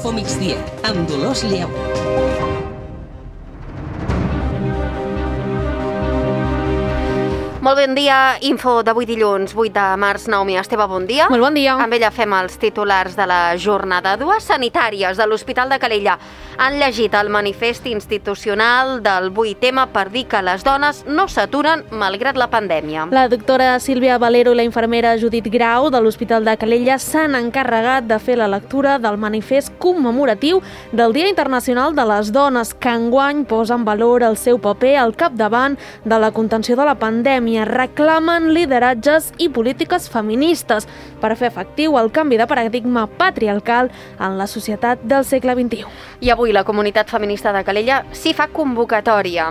Info Migdia, amb Dolors Lleó. Molt bon dia, info d'avui dilluns, 8 de març. Naomi Esteve, bon dia. Molt bon dia. Amb ella fem els titulars de la jornada. Dues sanitàries de l'Hospital de Calella han llegit el manifest institucional del 8M per dir que les dones no s'aturen malgrat la pandèmia. La doctora Sílvia Valero i la infermera Judit Grau de l'Hospital de Calella s'han encarregat de fer la lectura del manifest commemoratiu del Dia Internacional de les Dones, que enguany posa en valor el seu paper al capdavant de la contenció de la pandèmia. Reclamen lideratges i polítiques feministes per fer efectiu el canvi de paradigma patriarcal en la societat del segle XXI. I avui la comunitat feminista de Calella s'hi fa convocatòria.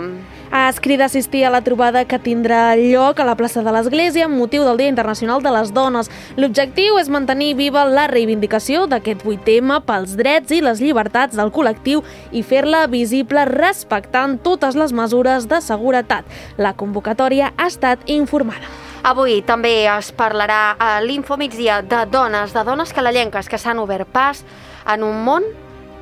Es crida a assistir a la trobada que tindrà lloc a la plaça de l'Església amb motiu del Dia Internacional de les Dones. L'objectiu és mantenir viva la reivindicació d'aquest 8M pels drets i les llibertats del col·lectiu i fer-la visible respectant totes les mesures de seguretat. La convocatòria ha estat informada. Avui també es parlarà a l'Info Migdia de dones calellenques que s'han obert pas en un món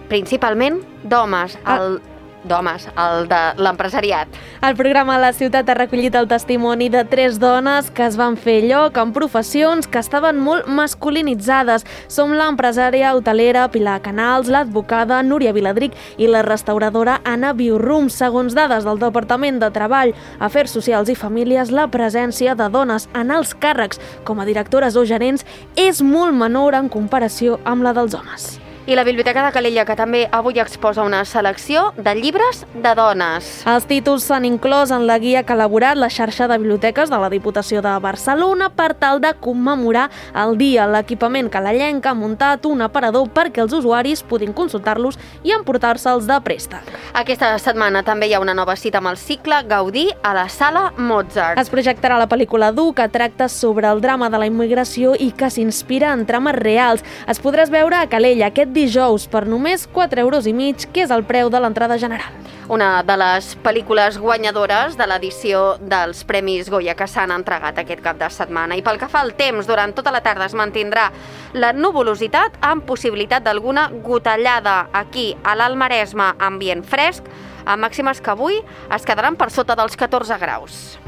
principalment d'homes, el de l'empresariat. El programa La Ciutat ha recollit el testimoni de 3 dones que es van fer lloc en professions que estaven molt masculinitzades. Som l'empresària hotelera Pilar Canals, l'advocada Núria Viladric i la restauradora Anna Biurrum. Segons dades del Departament de Treball, Afers Socials i Famílies, la presència de dones en els càrrecs com a directores o gerents és molt menor en comparació amb la dels homes. I la Biblioteca de Calella, que també avui exposa una selecció de llibres de dones. Els títols s'han inclòs en la guia que ha elaborat la xarxa de biblioteques de la Diputació de Barcelona per tal de commemorar el dia. L'equipament calellenc ha muntat un aparador perquè els usuaris puguin consultar-los i emportar-se'ls de préstec. Aquesta setmana també hi ha una nova cita amb el cicle Gaudí a la Sala Mozart. Es projectarà la pel·lícula Dur, que tracta sobre el drama de la immigració i que s'inspira en trames reals. Es podràs veure a Calella aquest dijous per només 4,5 €, que és el preu de l'entrada general. Una de les pel·lícules guanyadores de l'edició dels Premis Goya que s'han entregat aquest cap de setmana. I pel que fa al temps, durant tota la tarda es mantindrà la nuvolositat amb possibilitat d'alguna gotellada aquí a l'Alt Maresme, ambient fresc, amb màximes que avui es quedaran per sota dels 14 graus.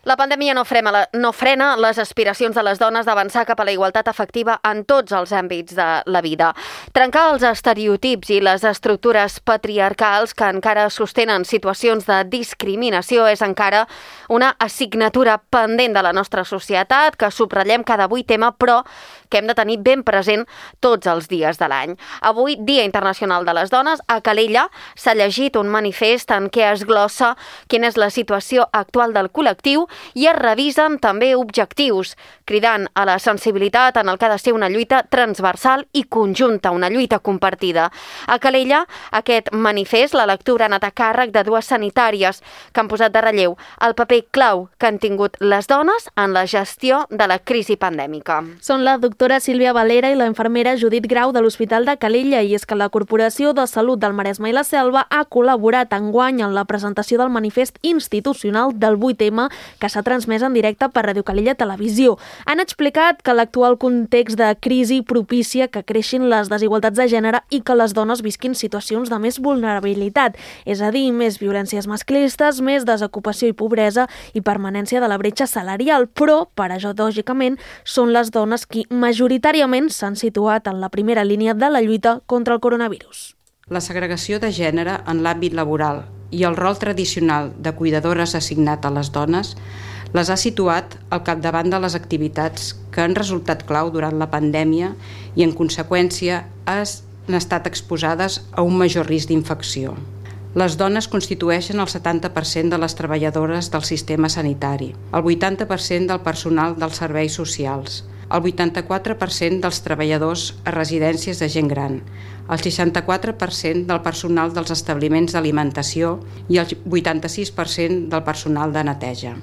La pandèmia no frena les aspiracions de les dones d'avançar cap a la igualtat efectiva en tots els àmbits de la vida. Trencar els estereotips i les estructures patriarcals que encara sostenen situacions de discriminació és encara una assignatura pendent de la nostra societat que subratllem cada 8M, però que hem de tenir ben present tots els dies de l'any. Avui, Dia Internacional de les Dones, a Calella s'ha llegit un manifest en què es glossa quina és la situació actual del col·lectiu i es revisen també objectius, cridant a la sensibilitat en el que ha de ser una lluita transversal i conjunta, una lluita compartida. A Calella, aquest manifest, la lectura ha anat a càrrec de 2 sanitàries que han posat de relleu el paper clau que han tingut les dones en la gestió de la crisi pandèmica. Són la doctora Sílvia Valero i la infermera Judit Grau de l'Hospital de Calella, i és que la Corporació de Salut del Maresme i la Selva ha col·laborat enguany en la presentació del manifest institucional del 8M que s'ha transmès en directe per Ràdio Calella Televisió. Han explicat que l'actual context de crisi propicia que creixin les desigualtats de gènere i que les dones visquin situacions de més vulnerabilitat, és a dir, més violències masclistes, més desocupació i pobresa i permanència de la bretxa salarial, però, paradògicament, són les dones qui majoritàriament s'han situat en la primera línia de la lluita contra el coronavirus. La segregació de gènere en l'àmbit laboral i el rol tradicional de cuidadores assignat a les dones les ha situat al capdavant de les activitats que han resultat clau durant la pandèmia i, en conseqüència, han estat exposades a un major risc d'infecció. Les dones constitueixen el 70% de les treballadores del sistema sanitari, el 80% del personal dels serveis socials, el 84% dels treballadors a residències de gent gran, el 64% del personal dels establiments d'alimentació i el 86% del personal de neteja.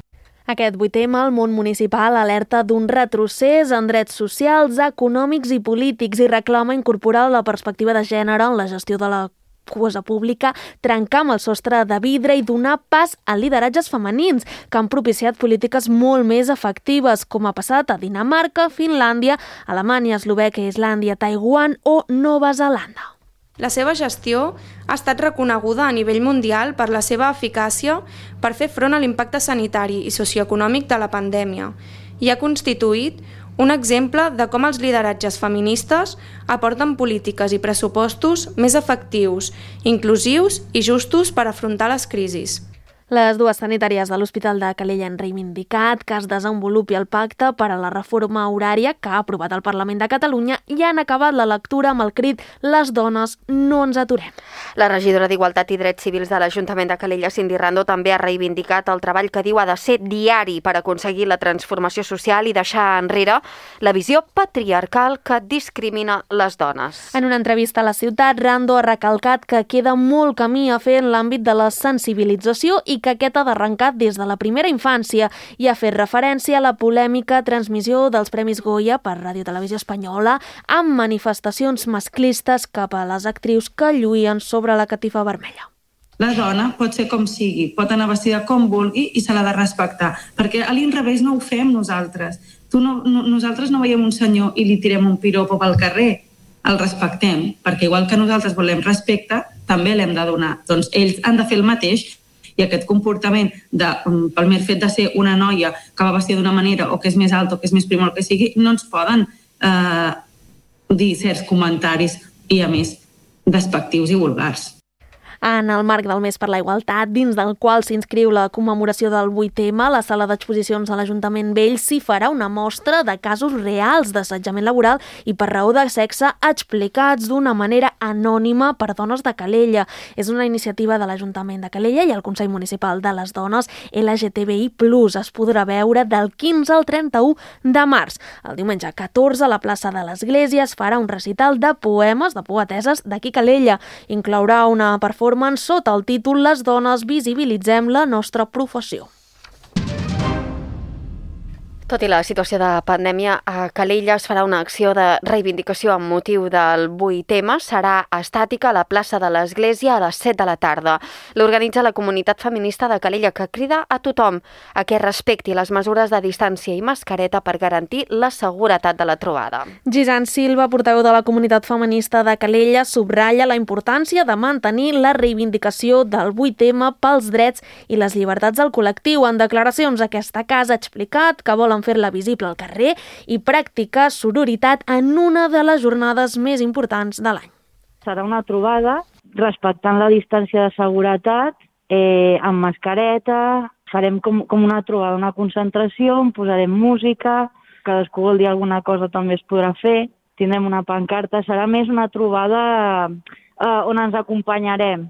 Aquest 8M, el món municipal alerta d'un retrocés en drets socials, econòmics i polítics i reclama incorporar la perspectiva de gènere en la gestió de la cosa pública, trencar amb el sostre de vidre i donar pas a lideratges femenins que han propiciat polítiques molt més efectives, com ha passat a Dinamarca, Finlàndia, Alemanya, Eslovèquia, Islàndia, Taiwan o Nova Zelanda. La seva gestió ha estat reconeguda a nivell mundial per la seva eficàcia per fer front a l'impacte sanitari i socioeconòmic de la pandèmia i ha constituït un exemple de com els lideratges feministes aporten polítiques i pressupostos més efectius, inclusius i justos per afrontar les crisis. Les dues sanitàries de l'Hospital de Calella han reivindicat que es desenvolupi el pacte per a la reforma horària que ha aprovat el Parlament de Catalunya i han acabat la lectura amb el crit «Les dones no ens aturem». La regidora d'Igualtat i Drets Civils de l'Ajuntament de Calella, Cindy Rando, també ha reivindicat el treball que diu ha de ser diari per aconseguir la transformació social i deixar enrere la visió patriarcal que discrimina les dones. En una entrevista a La Ciutat, Rando ha recalcat que queda molt camí a fer en l'àmbit de la sensibilització i que aquest ha d'arrencar des de la primera infància i ha fet referència a la polèmica transmissió dels Premis Goya per Ràdio Televisió Espanyola amb manifestacions masclistes cap a les actrius que lluïen sobre la catifa vermella. La dona pot ser com sigui, pot anar vestida com vulgui i se l'ha de respectar, perquè a l'inrevés no ho fem nosaltres. Nosaltres no veiem un senyor i li tirem un piropo pel carrer, el respectem, perquè igual que nosaltres volem respecte, també l'hem de donar. Doncs ells han de fer el mateix i aquest comportament, pel mer fet de ser una noia que va vestir d'una manera o que és més alta o que és més prima o el que sigui, no ens poden dir certs comentaris i, a més, despectius i vulgars. En el marc del Mes per la Igualtat, dins del qual s'inscriu la commemoració del 8M, la sala d'exposicions de l'Ajuntament Vell s'hi farà una mostra de casos reals d'assetjament laboral i per raó de sexe explicats d'una manera anònima per dones de Calella. És una iniciativa de l'Ajuntament de Calella i el Consell Municipal de les Dones LGTBI+. Es podrà veure del 15 al 31 de març. El diumenge 14 a la plaça de l'Església es farà un recital de poemes de poeteses d'aquí Calella. Inclourà una performance sota el títol «Les dones visibilitzem la nostra professió». Tot i la situació de pandèmia, a Calella es farà una acció de reivindicació amb motiu del 8M. Serà estàtica a la plaça de l'Església a les 7 de la tarda. L'organitza la comunitat feminista de Calella, que crida a tothom a que respecti les mesures de distància i mascareta per garantir la seguretat de la trobada. Gisant Silva, portaveu de la comunitat feminista de Calella, subratlla la importància de mantenir la reivindicació del 8M pels drets i les llibertats del col·lectiu. En declaracions a aquesta casa ha explicat que volen fer-la visible al carrer i practicar sororitat en una de les jornades més importants de l'any. Serà una trobada respectant la distància de seguretat, amb mascareta, farem com una trobada, una concentració, on posarem música, cadascú vol dir alguna cosa també es podrà fer, tindrem una pancarta, serà més una trobada on ens acompanyarem.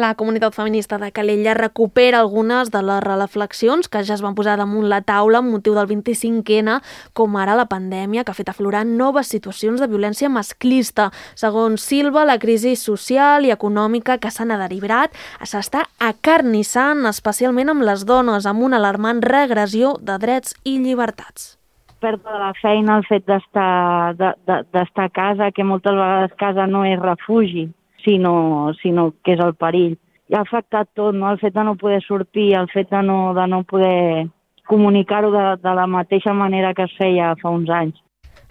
La comunitat feminista de Calella recupera algunes de les reflexions que ja es van posar damunt la taula amb motiu del 25N, com ara la pandèmia, que ha fet aflorar noves situacions de violència masclista. Segons Silva, la crisi social i econòmica que s'han derivat s'està acarnissant, especialment amb les dones, amb una alarmant regressió de drets i llibertats. Pèrdua de la feina, el fet d'estar a casa, que moltes vegades casa no és refugi, sinó que és el perill. I ha afectat tot, no? El fet de no poder sortir, el fet de no poder comunicar-ho de la mateixa manera que es feia fa uns anys.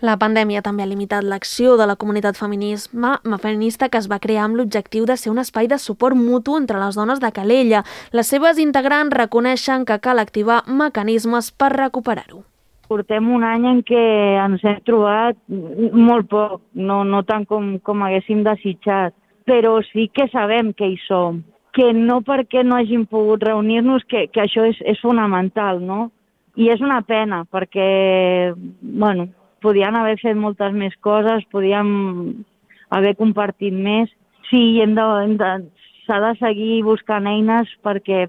La pandèmia també ha limitat l'acció de la comunitat feminista que es va crear amb l'objectiu de ser un espai de suport mutu entre les dones de Calella. Les seves integrants reconeixen que cal activar mecanismes per recuperar-ho. Portem un any en què ens hem trobat molt poc, no tant com haguéssim desitjat, però sí que sabem que hi som, que no perquè no hàgim pogut reunir-nos, que això és fonamental, no? I és una pena, perquè, podien haver fet moltes més coses, podíem haver compartit més. Sí, s'ha de seguir buscant eines perquè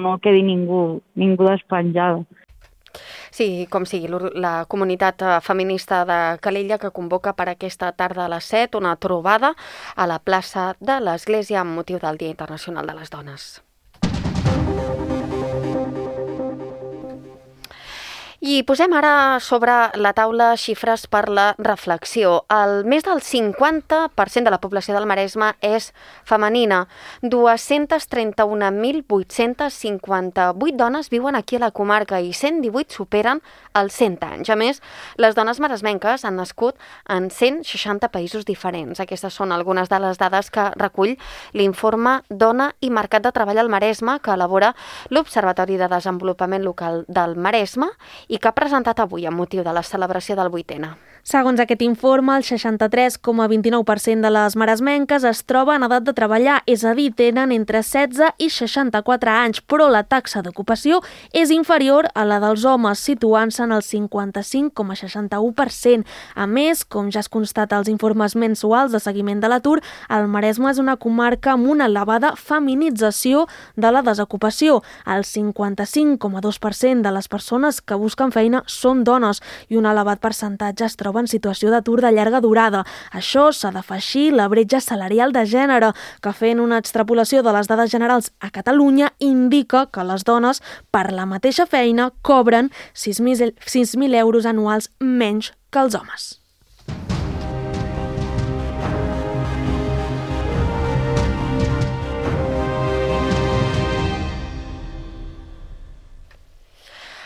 no quedi ningú despenjada. Sí, com sigui, la comunitat feminista de Calella que convoca per aquesta tarda a les 7 una trobada a la plaça de l'Església amb motiu del Dia Internacional de les Dones. I posem ara sobre la taula xifres per la reflexió. Més del 50% de la població del Maresme és femenina. 231.858 dones viuen aquí a la comarca i 118 superen els 100 anys. A més, les dones maresmenques han nascut en 160 països diferents. Aquestes són algunes de les dades que recull l'informe Dona i Mercat de Treball al Maresme que elabora l'Observatori de Desenvolupament Local del Maresme i que ha presentat avui amb motiu de la celebració del 8N. Segons aquest informe, el 63,29% de les maresmenques es troba en edat de treballar, és a dir, tenen entre 16 i 64 anys, però la taxa d'ocupació és inferior a la dels homes, situant-se en el 55,61%. A més, com ja es constata als informes mensuals de seguiment de l'atur, el Maresme és una comarca amb una elevada feminització de la desocupació. El 55,2% de les persones que busquen feina són dones i un elevat percentatge es troba en situació d'atur de llarga durada. Això s'ha d'afegir la bretxa salarial de gènere, que fent una extrapolació de les dades generals a Catalunya indica que les dones per la mateixa feina cobren 6.000 euros anuals menys que els homes.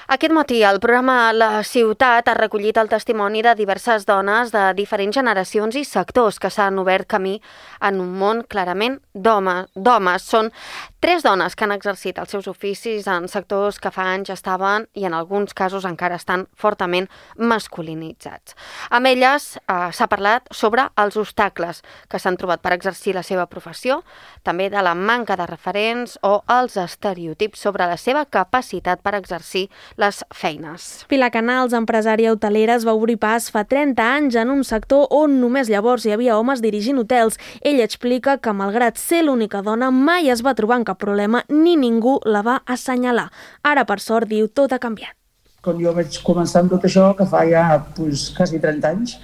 Aquest matí el programa La Ciutat ha recollit el testimoni de diverses dones de diferents generacions i sectors que s'han obert camí en un món clarament d'homes. Són 3 dones que han exercit els seus oficis en sectors que fa anys estaven i en alguns casos encara estan fortament masculinitzats. Amb elles s'ha parlat sobre els obstacles que s'han trobat per exercir la seva professió, també de la manca de referents o els estereotips sobre la seva capacitat per exercir les feines. Pilar Canals, empresària hotelera, es va obrir pas fa 30 anys en un sector on només llavors hi havia homes dirigint hotels. Ella explica que, malgrat ser l'única dona, mai es va trobar en cap problema ni ningú la va assenyalar. Ara, per sort, diu, tot ha canviat. Quan jo vaig començar amb tot això, que fa ja quasi 30 anys,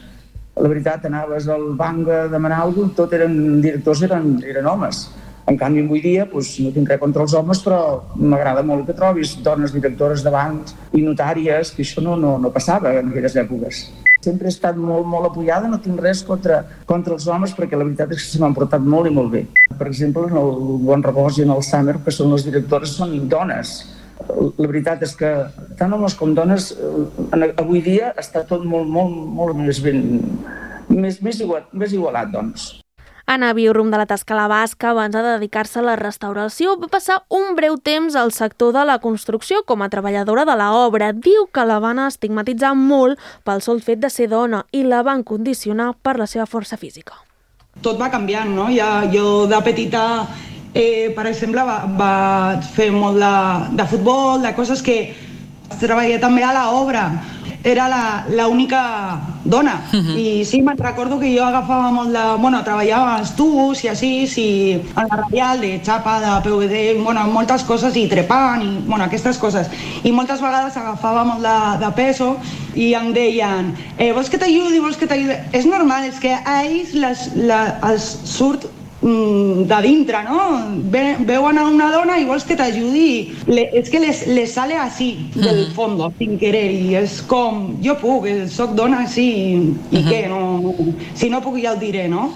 la veritat, anaves al banc a demanar alguna cosa, tot eren directors, eren homes. En canvi, avui dia, no tinc res contra els homes, però m'agrada molt que trobis dones directores de bancs i notàries, que això no passava en aquelles èpoques. Sempre he estat molt apoyada, no tinc res contra els homes, perquè la veritat és que se m'han portat molt i molt bé. Per exemple, en el Bon Repòs i en el Summer, que són les directores, són dones. La veritat és que tant homes com dones, avui dia està tot molt més igualat, doncs. Anna Biurrum, de la Tasca La Basca, abans de dedicar-se a la restauració, va passar un breu temps al sector de la construcció com a treballadora de l'obra. Diu que la van estigmatitzar molt pel sol fet de ser dona i la van condicionar per la seva força física. Tot va canviant, no? Jo de petita, per exemple, vaig fer molt de futbol, de coses que treballé també a l'obra. Era l'única dona. I sí, me'n recordo que jo agafava molt de... treballava als tubs i així, en la radial de xapa, de PVD, moltes coses, i trepant, i aquestes coses. I moltes vegades agafava molt de peso i em deien, vols que t'ajudi, És normal, és que a ells els surt de dintre, no? Veuen a una dona i vols que t'ajudi. És que les sale així, del fondo, sin querer, i és com, jo puc, soc dona, sí, i què? Si no puc ja ho diré, no?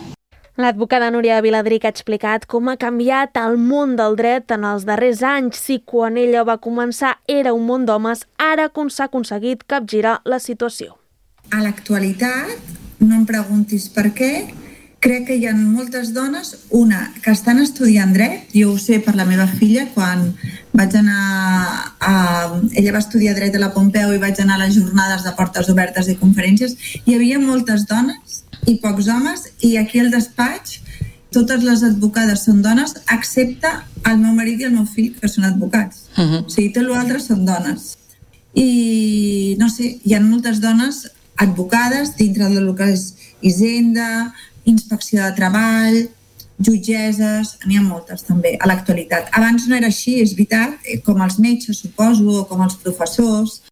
L'advocada Núria Viladric ha explicat com ha canviat el món del dret en els darrers anys. Si quan ella va començar era un món d'homes, ara s'ha aconseguit capgirar la situació. A l'actualitat, no em preguntis per què, crec que hi ha moltes dones, una, que estan estudiant dret. Jo ho sé per la meva filla, quan vaig anar ella va estudiar dret a la Pompeu i vaig anar a les jornades de portes obertes i conferències. Hi havia moltes dones i pocs homes, i aquí al despatx totes les advocades són dones, excepte el meu marit i el meu fill, que són advocats. O sigui, tot l'altre són dones. I, no sé, hi ha moltes dones advocades dintre del que és Hisenda, Inspecció de Treball, jutgesses, n'hi ha moltes també a l'actualitat. Abans no era així, és veritat, com els metges, suposo, o com els professors.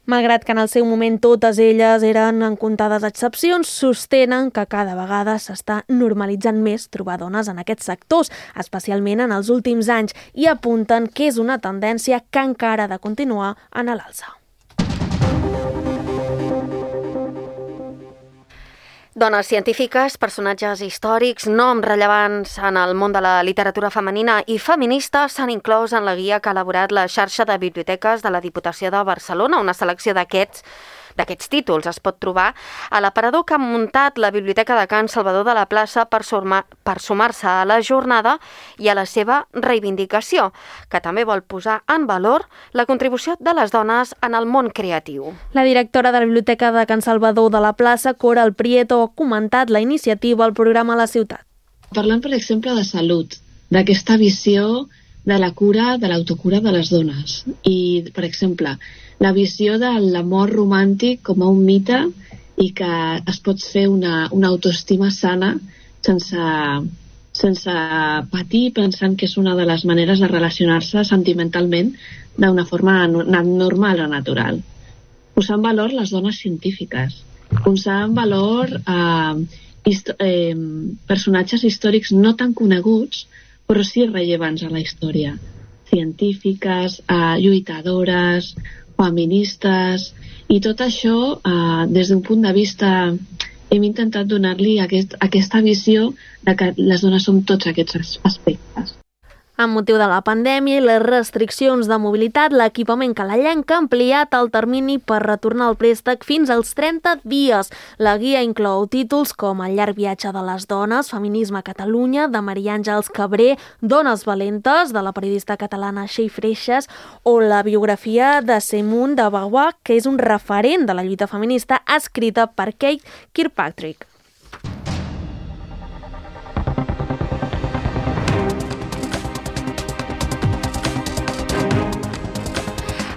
Malgrat que en el seu moment totes elles eren en comptades excepcions, sostenen que cada vegada s'està normalitzant més trobar dones en aquests sectors, especialment en els últims anys, i apunten que és una tendència que encara ha de continuar en l'alça. Dones científiques, personatges històrics, noms rellevants en el món de la literatura femenina i feminista s'han inclòs en la guia que ha elaborat la xarxa de biblioteques de la Diputació de Barcelona. Una selecció d'aquests títols es pot trobar a l'aparador que ha muntat la Biblioteca de Can Salvador de la Plaça per sumar-se a la jornada i a la seva reivindicació, que també vol posar en valor la contribució de les dones en el món creatiu. La directora de la Biblioteca de Can Salvador de la Plaça, Coral Prieto, ha comentat la iniciativa al programa a la ciutat. Parlant, per exemple, de salut, d'aquesta visió de la cura, de l'autocura de les dones. I, per exemple, la visió de l'amor romàntic com a un mite i que es pot fer una autoestima sana sense patir, pensant que és una de les maneres de relacionar-se sentimentalment d'una forma normal o natural. Posar en valor les dones científiques, posar en valor personatges històrics no tan coneguts, però sí rellevants a la història. Científiques, lluitadores, feministes, i tot això, des d'un punt de vista, hem intentat donar-li aquesta visió de que les dones som tots aquests aspectes. Amb motiu de la pandèmia i les restriccions de mobilitat, l'equipament calellenc ha ampliat el termini per retornar el préstec fins als 30 dies. La guia inclou títols com El llarg viatge de les dones, Feminisme a Catalunya, de Maria Àngels Cabré, Dones valentes, de la periodista catalana Txell Freixas, o la biografia de Simone de Beauvoir, que és un referent de la lluita feminista, escrita per Kate Kirkpatrick.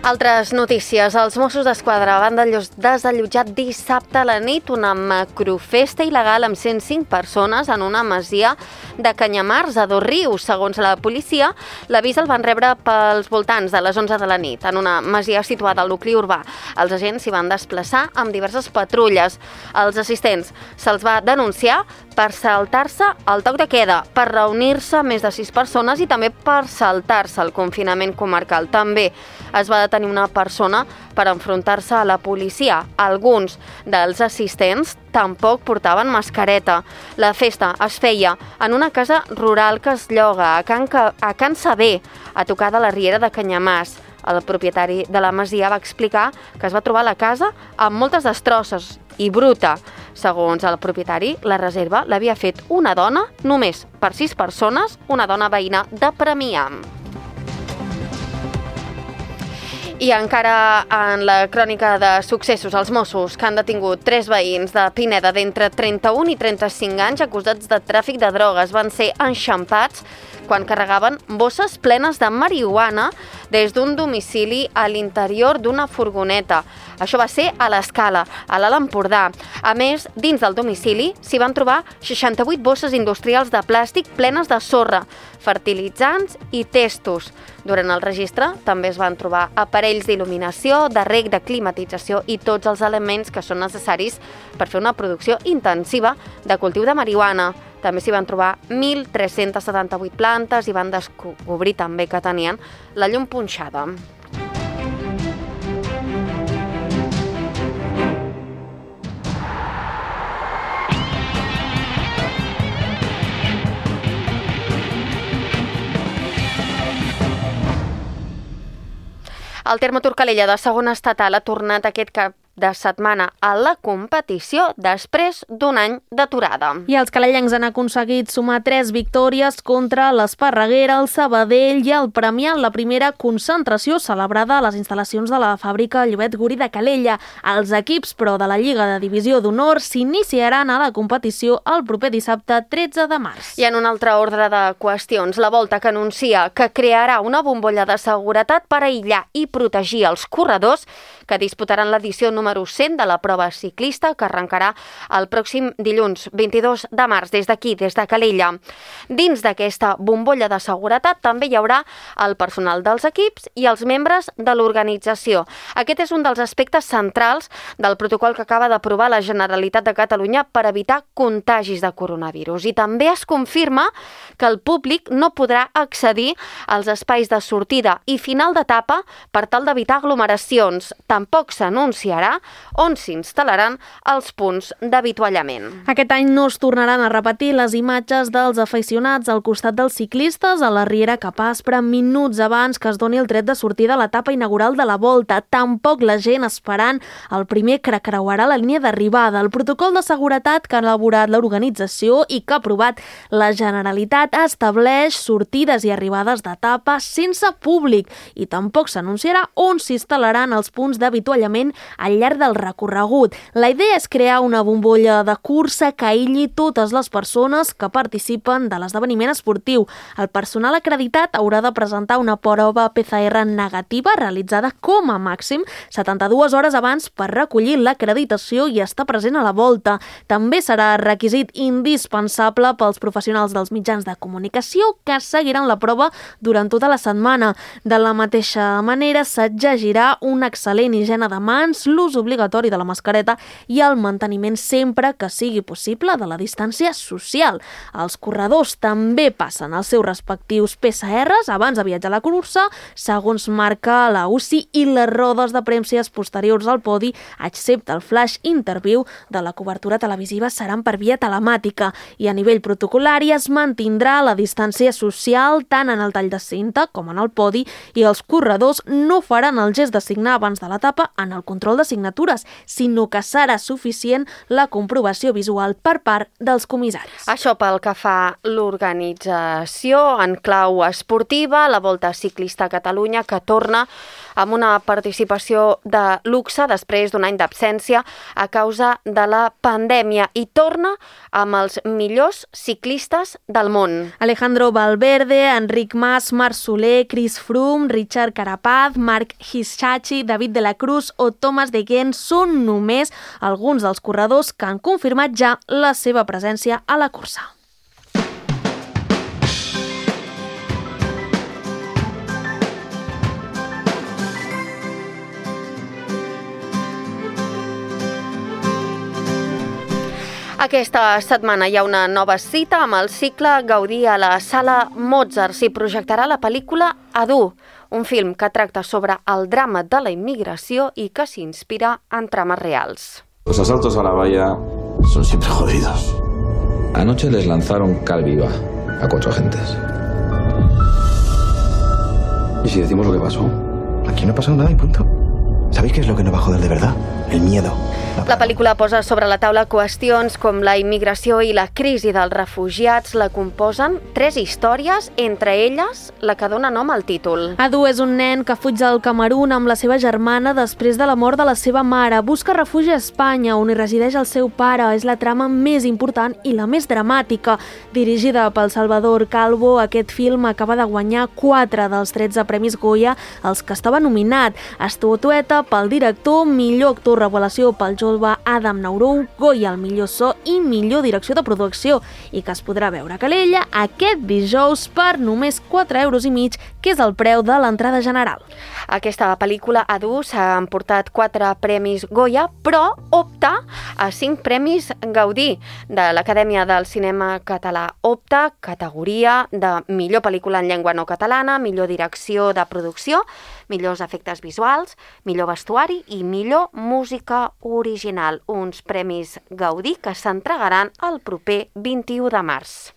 Altres notícies. Els Mossos d'Esquadra van desallotjar dissabte a la nit una macrofesta il·legal amb 105 persones en una masia de Canyamars, a Dosrius. Segons la policia, l'avís el van rebre pels voltants de les 11 de la nit, en una masia situada al nucli urbà. Els agents s'hi van desplaçar amb diverses patrulles. Els assistents se'ls va denunciar per saltar-se el toc de queda, per reunir-se més de 6 persones i també per saltar-se el confinament comarcal. També es va detenir una persona per enfrontar-se a la policia. Alguns dels assistents tampoc portaven mascareta. La festa es feia en una casa rural que es lloga a Can Saber, a tocar de la riera de Canyamars. El propietari de la masia va explicar que es va trobar la casa amb moltes destrosses i bruta. Segons el propietari, la reserva l'havia fet una dona només per 6 persones, una dona veïna de Premià. I encara en la crònica de successos, els Mossos, que han detingut 3 veïns de Pineda d'entre 31 i 35 anys acusats de tràfic de drogues, van ser enxampats quan carregaven bosses plenes de marihuana des d'un domicili a l'interior d'una furgoneta. Això va ser a l'Escala, a l'Alt Empordà. A més, dins del domicili s'hi van trobar 68 bosses industrials de plàstic plenes de sorra, fertilitzants i testos. Durant el registre també es van trobar aparells d'il·luminació, de reg, de climatització i tots els elements que són necessaris per fer una producció intensiva de cultiu de marihuana. També s'hi van trobar 1.378 plantes i van descobrir també que tenien la llum punxada. El Terme Turcalella de segona estatal ha tornat aquest cap de setmana a la competició després d'un any d'aturada. I els calellencs han aconseguit sumar 3 victòries contra l'Esparreguera, el Sabadell i el Premià en la primera concentració celebrada a les instal·lacions de la fàbrica Llobet Guri de Calella. Els equips, però, de la Lliga de Divisió d'Honor s'iniciaran a la competició el proper dissabte 13 de març. I en un altre ordre de qüestions, la Volta, que anuncia que crearà una bombolla de seguretat per aïllar i protegir els corredors que disputaran l'edició número 100 de la prova ciclista, que arrencarà el pròxim dilluns 22 de març des d'aquí, des de Calella. Dins d'aquesta bombolla de seguretat també hi haurà el personal dels equips i els membres de l'organització. Aquest és un dels aspectes centrals del protocol que acaba d'aprovar la Generalitat de Catalunya per evitar contagis de coronavirus. I també es confirma que el públic no podrà accedir als espais de sortida i final d'etapa per tal d'evitar aglomeracions. tampoc s'anunciarà on s'instal·laran els punts d'avituallament. Aquest any no es tornaran a repetir les imatges dels aficionats al costat dels ciclistes a la Riera Cap Aspre minuts abans que es doni el tret de sortida a l'etapa inaugural de la Volta. Tampoc la gent esperant el primer que creuarà la línia d'arribada. El protocol de seguretat que ha elaborat l'organització i que ha aprovat la Generalitat estableix sortides i arribades d'etapa sense públic i tampoc s'anunciarà on s'instal·laran els punts d'avituallament al llarg del recorregut. La idea és crear una bombolla de cursa que aïlli totes les persones que participen de l'esdeveniment esportiu. El personal acreditat haurà de presentar una prova PCR negativa realitzada com a màxim 72 hores abans per recollir l'acreditació i estar present a la Volta. També serà requisit indispensable pels professionals dels mitjans de comunicació que seguiran la prova durant tota la setmana. De la mateixa manera, s'exigirà una excel·lent higiene de mans, l'ús obligatori de la mascareta i el manteniment sempre que sigui possible de la distància social. Els corredors també passen els seus respectius PCRs abans de viatjar a la cursa, segons marca la UCI, i les rodes de premses posteriors al podi, excepte el flash interview de la cobertura televisiva, seran per via telemàtica i a nivell protocolari es mantindrà la distància social tant en el tall de cinta com en el podi i els corredors no faran el gest de signar abans de l'etapa en el control de signatures, sinó que serà suficient la comprovació visual per part dels comissaris. Això pel que fa l'organització en clau esportiva, la Volta Ciclista a Catalunya, que torna amb una participació de luxe després d'un any d'absència a causa de la pandèmia i torna amb els millors ciclistes del món. Alejandro Valverde, Enric Mas, Marc Soler, Chris Froome, Richard Carapaz, Marc Hirschi, David de la Cruz o Thomas de Gendt són només alguns dels corredors que han confirmat ja la seva presència a la cursa. Aquesta setmana hi ha una nova cita amb el cicle Gaudí a la Sala Mozart. S'hi projectarà la pel·lícula Adu, un film que tracta sobre el drama de la immigració i que s'inspira en trames reals. Los asaltos a la valla son siempre jodidos. Anoche les lanzaron cal viva a 4 agentes. ¿Y si decimos lo que pasó? Aquí no ha pasado nada y punto. ¿Sabéis qué es lo que nos va a joder de verdad? El miedo. La pel·lícula posa sobre la taula qüestions com la immigració i la crisi dels refugiats. La composen 3 històries, entre elles la que dona nom al títol. Adu és un nen que fuig del Camerun amb la seva germana després de la mort de la seva mare. Busca refugi a Espanya, on hi resideix el seu pare. És la trama més important i la més dramàtica. Dirigida pel Salvador Calvo, aquest film acaba de guanyar 4 dels 13 Premis Goya als que estava nominat. Estatueta pel director, millor actor revelació pel jove Adam Naurou, Goya al millor so i millor direcció de producció, i que es podrà veure a Calella aquest dijous per només 4,5 €, que és el preu de l'entrada general. Aquesta pel·lícula Adu s'ha emportat 4 premis Goya, però opta a 5 premis Gaudí de l'Acadèmia del Cinema Català. Opta categoria de millor pel·lícula en llengua no catalana, millor direcció de producció, millors efectes visuals, millor vestuari i millor música original. Uns premis Gaudí que s'entregaran el proper 21 de març.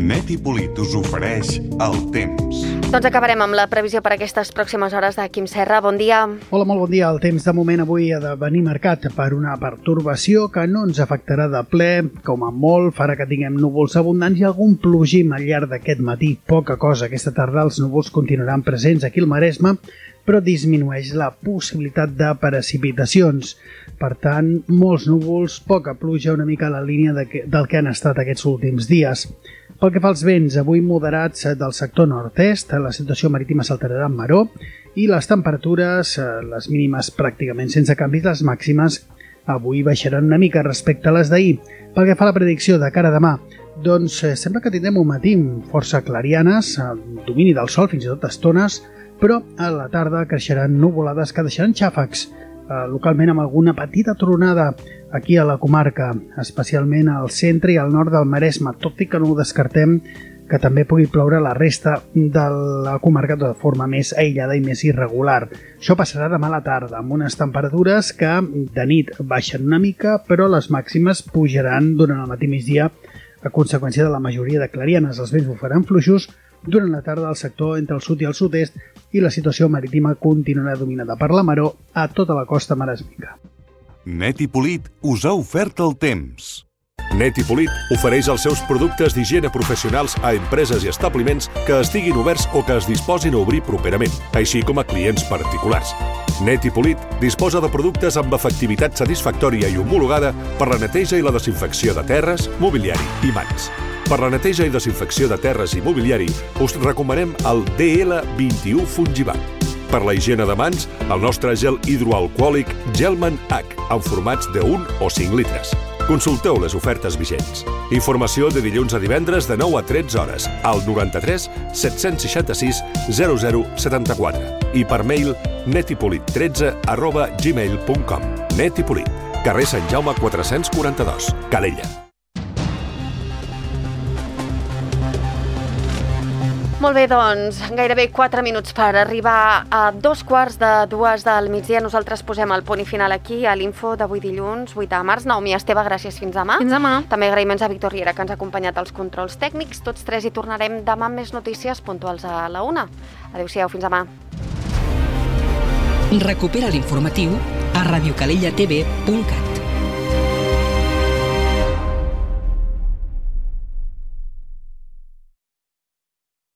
Neti Polit us ofereix el temps. Doncs acabarem amb la previsió per aquestes pròximes hores de Quim Serra. Bon dia. Hola, molt bon dia. El temps de moment avui ha de venir marcat per una pertorbació que no ens afectarà de ple. Com a molt farà que tinguem núvols abundants i algun plogim al llarg d'aquest matí. Poca cosa. Aquesta tarda els núvols continuaran presents aquí al Maresme, però disminueix la possibilitat de precipitacions. Per tant, molts núvols, poca pluja, una mica a la línia del que han estat aquests últims dies. Pel que fa als vents, avui moderats del sector nord-est, la situació marítima s'alterarà en maró i les temperatures, les mínimes pràcticament sense canvis, les màximes avui baixaran una mica respecte a les d'ahir. Pel que fa a la predicció de cara a demà, doncs sembla que tindrem un matí força clarianes, domini del sol fins i tot estones, però a la tarda creixeran nuvolades que deixaran xàfecs, localment amb alguna petita tronada aquí a la comarca, especialment al centre i al nord del Maresme, tot i que no ho descartem que també pugui ploure a la resta de la comarca de forma més aïllada i més irregular. Això passarà demà a la tarda, amb unes temperatures que de nit baixen una mica, però les màximes pujaran durant el matí migdia a conseqüència de la majoria de clarianes. Els vents bufaran fluixos durant la tarda al sector entre el sud i el sud-est i la situació marítima continuarà dominada per la maror a tota la costa maresmenca. Net i Polit us ha ofert el temps. Net i Polit ofereix els seus productes d'higiene professionals a empreses i establiments que estiguin oberts o que es disposin a obrir properament, així com a clients particulars. Net i Polit disposa de productes amb efectivitat satisfactòria i homologada per la neteja i la desinfecció de terres, mobiliari i mans. Per la neteja i desinfecció de terres i mobiliari us recomanem el DL21 Fungivac. Per la higiene de mans, el nostre gel hidroalcohòlic Gelman H, en formats de 1 o 5 litres. Consulteu les ofertes vigents. Informació de dilluns a divendres de 9 a 13 hores al 93 766 0074 i per mail netipolit13@gmail.com. Net i Polit, carrer Sant Jaume 442, Calella. Molt bé, doncs, gairebé 4 minuts per arribar a 2:15 del migdia. Nosaltres posem el punt i final aquí a l'Info d'avui dilluns, 8 de març. Naomi Esteve, gràcies, fins demà. Fins demà. També agraïments a Víctor Riera, que ens ha acompanyat als controls tècnics. Tots tres hi tornarem demà amb més notícies puntuals a la 1. Adéu-siau, fins demà. Recupera l'informatiu a radiocalellatv.cat.